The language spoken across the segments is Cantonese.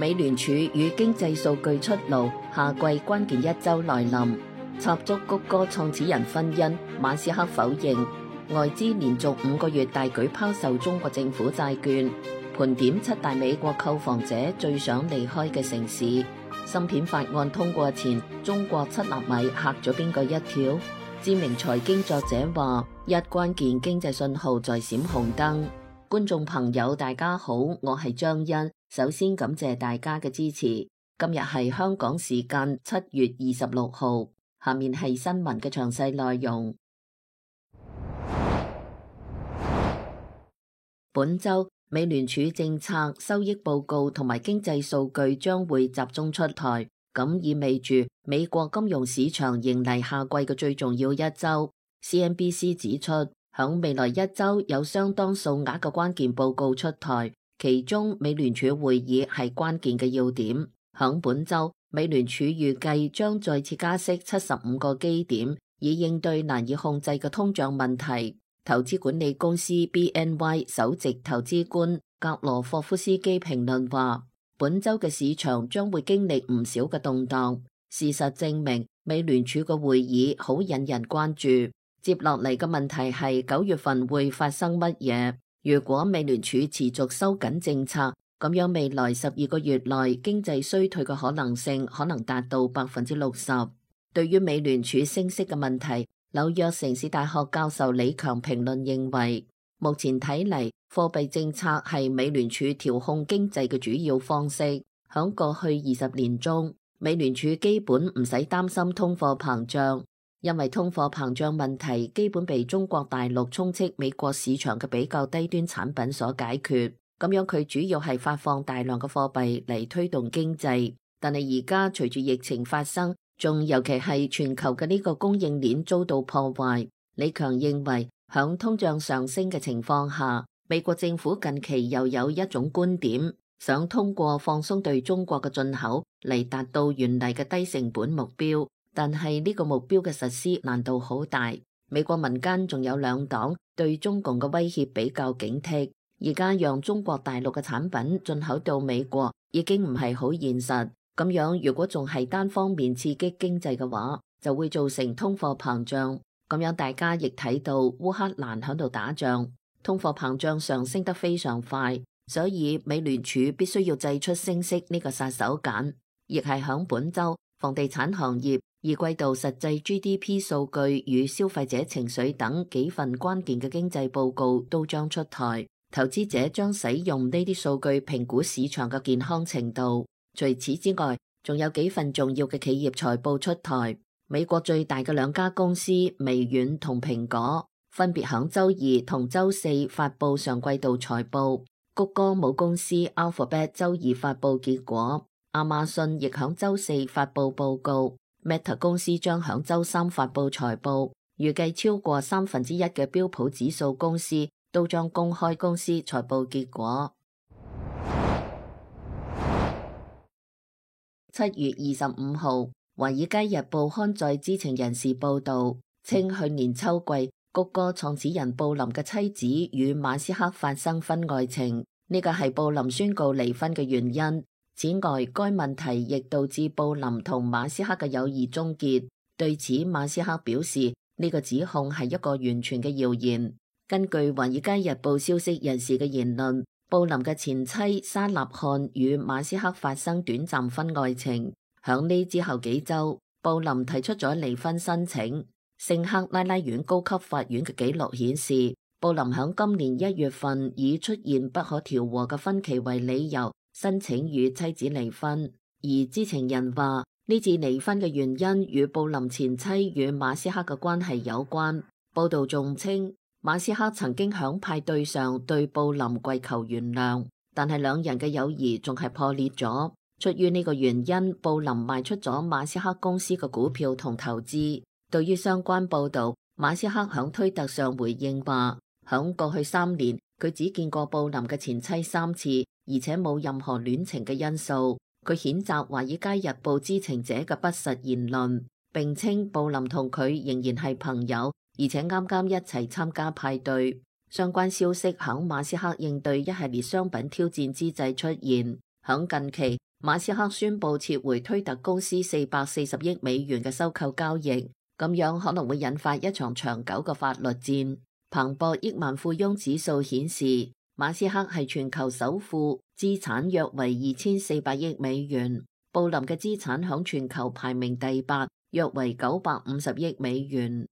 美聯儲與經濟數據出爐，夏季關鍵一周來臨。插足谷歌創始人婚姻，馬斯克否認。外資連續5個月大舉拋售中國政府債券。盤點7大美國購房者最想離開嘅城市。芯片法案通過前，中國7納米嚇咗邊個一跳？知名財經作者話：一關鍵經濟信號在閃紅燈。觀眾朋友大家好，我係張欣。首先感謝大家嘅支持。今日係香港時間7月26號，下面係新聞嘅詳細內容。本週美聯儲政策、收益報告同埋經濟數據將會集中出台，咁意味住美國金融市場迎嚟夏季嘅最重要一週。CNBC 指出，響未來一週有相當數額嘅關鍵報告出台。其中，美聯儲會議係關鍵嘅要點。響本週，美聯儲預計將再次加息75個基點，以應對難以控制嘅通脹問題。投資管理公司 BNY 首席投資官格羅霍夫斯基評論話：本週嘅市場將會經歷唔少嘅動盪。事實證明，美聯儲嘅會議好引人關注。接落嚟嘅問題係9月份會發生乜嘢？如果美聯儲持續收緊政策，咁樣未來12個月內經濟衰退嘅可能性可能達到60%。對於美聯儲升息嘅問題，紐約城市大學教授李強評論認為，目前睇嚟貨幣政策係美聯儲調控經濟嘅主要方式。響過去20年中，美聯儲基本唔使擔心通貨膨脹。因為通貨膨脹問題基本被中國大陸充斥美國市場嘅比較低端產品所解決，咁樣佢主要係發放大量嘅貨幣嚟推動經濟。但係而家隨住疫情發生，仲尤其係全球嘅呢個供應鏈遭到破壞。李強認為，響通脹上升嘅情況下，美國政府近期又有一種觀點，想通過放鬆對中國嘅進口嚟達到原嚟嘅低成本目標。但係呢個目標嘅實施難度好大，美國民間仲有兩黨對中共嘅威脅比較警惕。而家讓中國大陸嘅產品進口到美國已經唔係好現實，咁樣如果仲係單方面刺激經濟嘅話，就會造成通貨膨脹。咁樣大家亦睇到烏克蘭喺度打仗，通貨膨脹上升得非常快，所以美聯儲必須要祭出升息呢個殺手鐧。亦係響本週，房地產行業二季度實際 GDP 數據與消費者情緒等幾份關鍵嘅經濟報告都將出台，投資者將使用呢啲數據評估市場嘅健康程度。除此之外，仲有幾份重要嘅企業財報出台。美國最大嘅兩家公司微軟同蘋果分別響週2同週4發佈上季度財報，谷歌母公司 Alphabet 週2發佈結果，亞馬遜亦響週4發佈報告。Meta 公司將響週3發佈財報，預計超過1/3嘅標普指數公司都將公開公司財報結果。7月25號，華爾街日報刊載知情人士報道，稱去年秋季谷歌創始人布林嘅妻子與馬斯克發生婚外情，呢個係布林宣告離婚嘅原因。此外，該問題亦導致布林同馬斯克嘅友誼終結。對此，馬斯克表示呢個指控係一個完全嘅謠言。根據華爾街日報消息人士嘅言論，布林嘅前妻沙納漢與馬斯克發生短暫婚外情。響呢之後幾週，布林提出咗離婚申請。聖克拉拉縣高級法院嘅記錄顯示，布林響今年1月份以出現不可調和嘅分歧為理由，申請與妻子離婚，而知情人話呢次離婚嘅原因與布林前妻與馬斯克嘅關係有關。報道仲稱，馬斯克曾經響派對上對布林跪求原諒，但係兩人嘅友誼仲係破裂咗。出於呢個原因，布林賣出咗馬斯克公司嘅股票同投資。對於相關報道，馬斯克響推特上回應話，響過去3年，佢只見過布林嘅前妻3次。而且冇任何戀情嘅因素。佢譴責《華爾街日報》知情者嘅不實言論，並稱布林同佢仍然係朋友，而且啱啱一齊參加派對。相關消息響馬斯克應對一系列商品挑戰之際出現。響近期，馬斯克宣布撤回推特公司440億美元嘅收購交易，咁樣可能會引發一場長久嘅法律戰。彭博億萬富翁指數顯示，馬斯克係全球首富，資產約為2400億美元。布林嘅資產響全球排名第8，約為950億美元。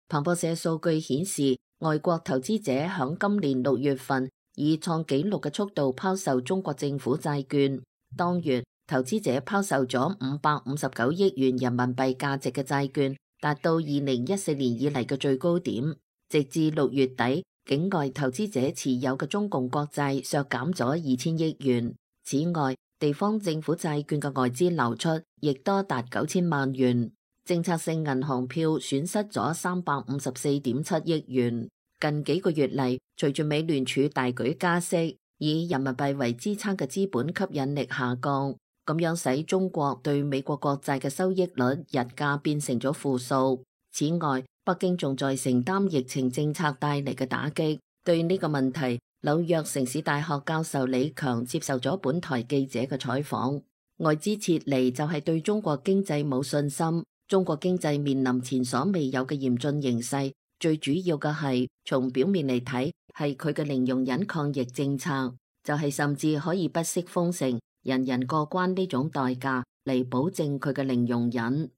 彭博社數據顯示，外國投資者響今年6月份以創紀錄嘅速度拋售中國政府債券。當月，投資者拋售咗559億元人民幣價值嘅債券，達到2014年以嚟嘅最高點。直至6月底，境外投資者持有嘅中共國債削減咗2000億元。此外，地方政府債券嘅外資流出亦多達9000萬元。政策性銀行票損失咗354.7億元。近幾個月嚟，隨住美聯儲大舉加息，以人民幣為支撐嘅資本吸引力下降，咁樣使中國對美國國債嘅收益率日價變成咗負數。此外，北京仲在承擔疫情政策帶嚟嘅打擊。對呢個問題，紐約城市大學教授李強接受咗本台記者嘅採訪。外資撤離就係對中國經濟冇信心，中國經濟面臨前所未有嘅嚴峻形勢。最主要嘅係，從表面嚟睇，係佢嘅零容忍抗疫政策，就係甚至可以不惜封城、人人過關呢種代價嚟保證佢嘅零容忍。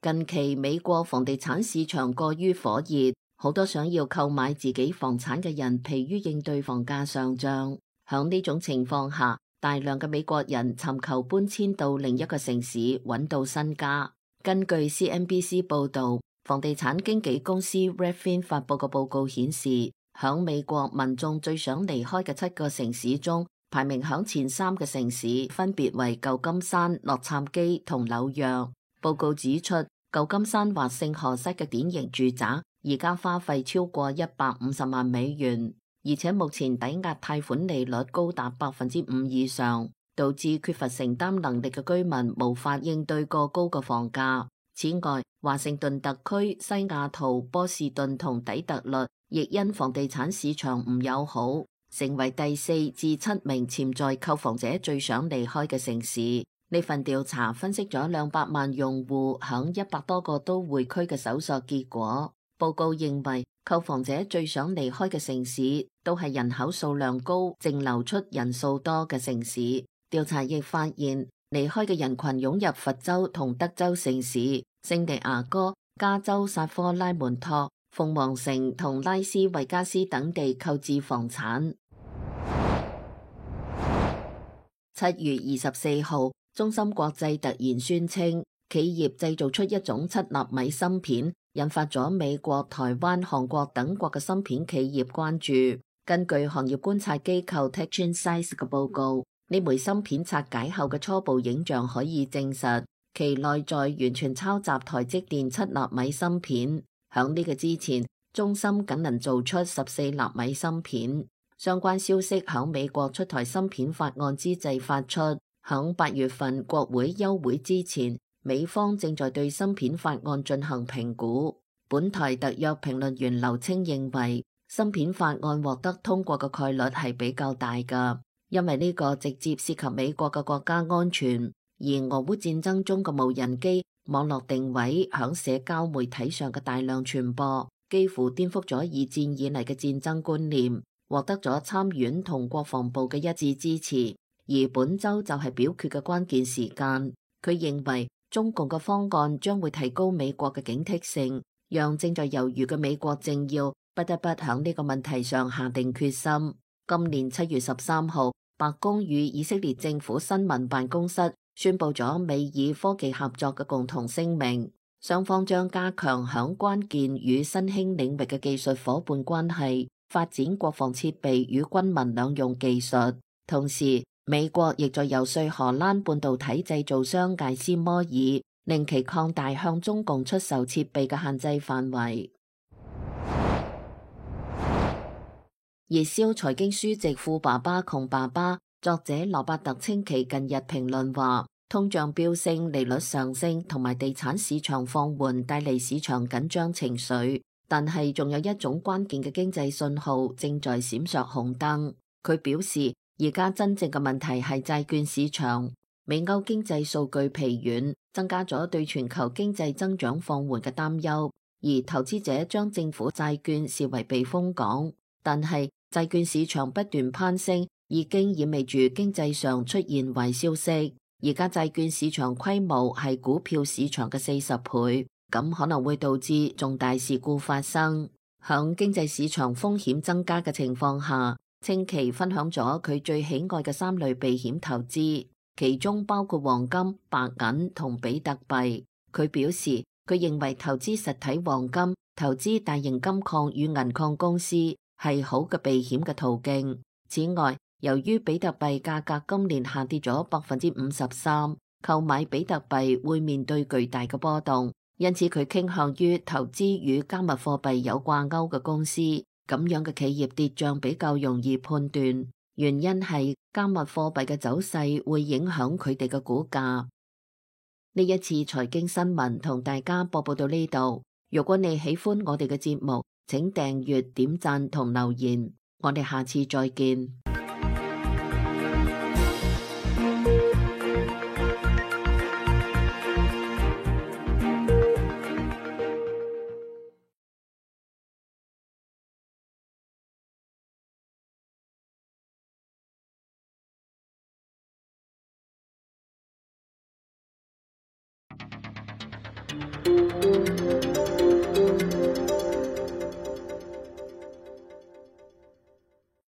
近期美國房地產市場過於火熱，好多想要購買自己房產嘅人疲於應對房價上漲。響呢種情況下，大量嘅美國人尋求搬遷到另一個城市揾到新家。根據 CNBC 報導，房地產經紀公司 Redfin 發佈嘅報告顯示，響美國民眾最想離開嘅7個城市中，排名響前3嘅城市分別為舊金山、洛杉磯同紐約。報告指出，舊金山或聖荷西嘅典型住宅而家花費超過150萬美元，而且目前抵押貸款利率高達5%以上，導致缺乏承擔能力嘅居民無法應對過高嘅房價。此外，華盛頓特區、西雅圖、波士頓同底特律亦因房地產市場唔友好，成為第4至7名潛在購房者最想離開嘅城市。呢份調查分析咗200萬用戶響100多個都會區嘅搜索結果。報告認為，購房者最想離開嘅城市都係人口數量高、淨流出人數多嘅城市。調查亦發現，離開嘅人群湧入佛州同德州城市、聖地牙哥、加州薩科拉門托、鳳凰城同拉斯維加斯等地購置房產。7月24號，中芯國際突然宣稱，企業製造出一種7納米芯片，引發咗美國、台灣、韓國等國嘅芯片企業關注。根據行業觀察機構 TechInsights 嘅報告，呢枚芯片拆解後嘅初步影像可以證實，其內在完全抄襲台積電7納米芯片。響呢個之前，中芯僅能做出14納米芯片。相關消息響美國出台芯片法案之際發出。響8月份國會休會之前，美方正在對芯片法案進行評估。本台特約評論員劉清認為，芯片法案獲得通過嘅概率係比較大㗎，因為呢個直接涉及美國嘅國家安全。而俄烏戰爭中嘅無人機網絡定位響社交媒體上嘅大量傳播，幾乎顛覆咗二戰以嚟嘅戰爭觀念，獲得咗參院同國防部嘅一致支持。而本周就係表決嘅關鍵時間，佢認為中共嘅方案將會提高美國嘅警惕性，讓正在猶豫嘅美國政要不得不喺呢個問題上下定決心。今年7月13號，白宮與以色列政府新聞辦公室宣布咗美以科技合作嘅共同聲明，雙方將加強響關鍵與新興領域嘅技術夥伴關係，發展國防設備與軍民兩用技術。同時，美國亦在遊說荷蘭半導體製造商艾斯摩爾，令其擴大向中共出售設備嘅限制範圍。熱銷財經書籍《富爸爸窮爸爸》，作者羅伯特清崎近日評論話，通脹飆升、利率上升同埋地產市場放緩帶嚟市場緊張情緒，但係仲有一種關鍵嘅經濟信號正在閃爍紅燈。佢表示，而家真正嘅問題係債券市場。美歐經濟數據疲軟，增加咗對全球經濟增長放緩嘅擔憂，而投資者將政府債券視為避風港。但係債券市場不斷攀升，已經意味住經濟上出現壞消息。而家債券市場規模係股票市場嘅40倍，咁可能會導致重大事故發生。響經濟市場風險增加嘅情況下，清崎分享咗佢最喜愛嘅3類避險投資。其中包括黃金、白銀同比特幣。佢表示，佢認為投資實體黃金、投資大型金礦與銀礦公司係好嘅避險嘅途徑。此外，由於比特幣價格今年下跌咗53%，購買比特幣會面對巨大嘅波動，因此佢傾向於投資與加密貨幣有掛鈎嘅公司。咁樣嘅企業跌漲比較容易判斷。原因係加密貨幣嘅走勢會影響佢哋嘅股價。呢一次財經新聞同大家播報到呢度。如果你喜歡我哋嘅節目，請訂閱、點讚同留言。我哋下次再見。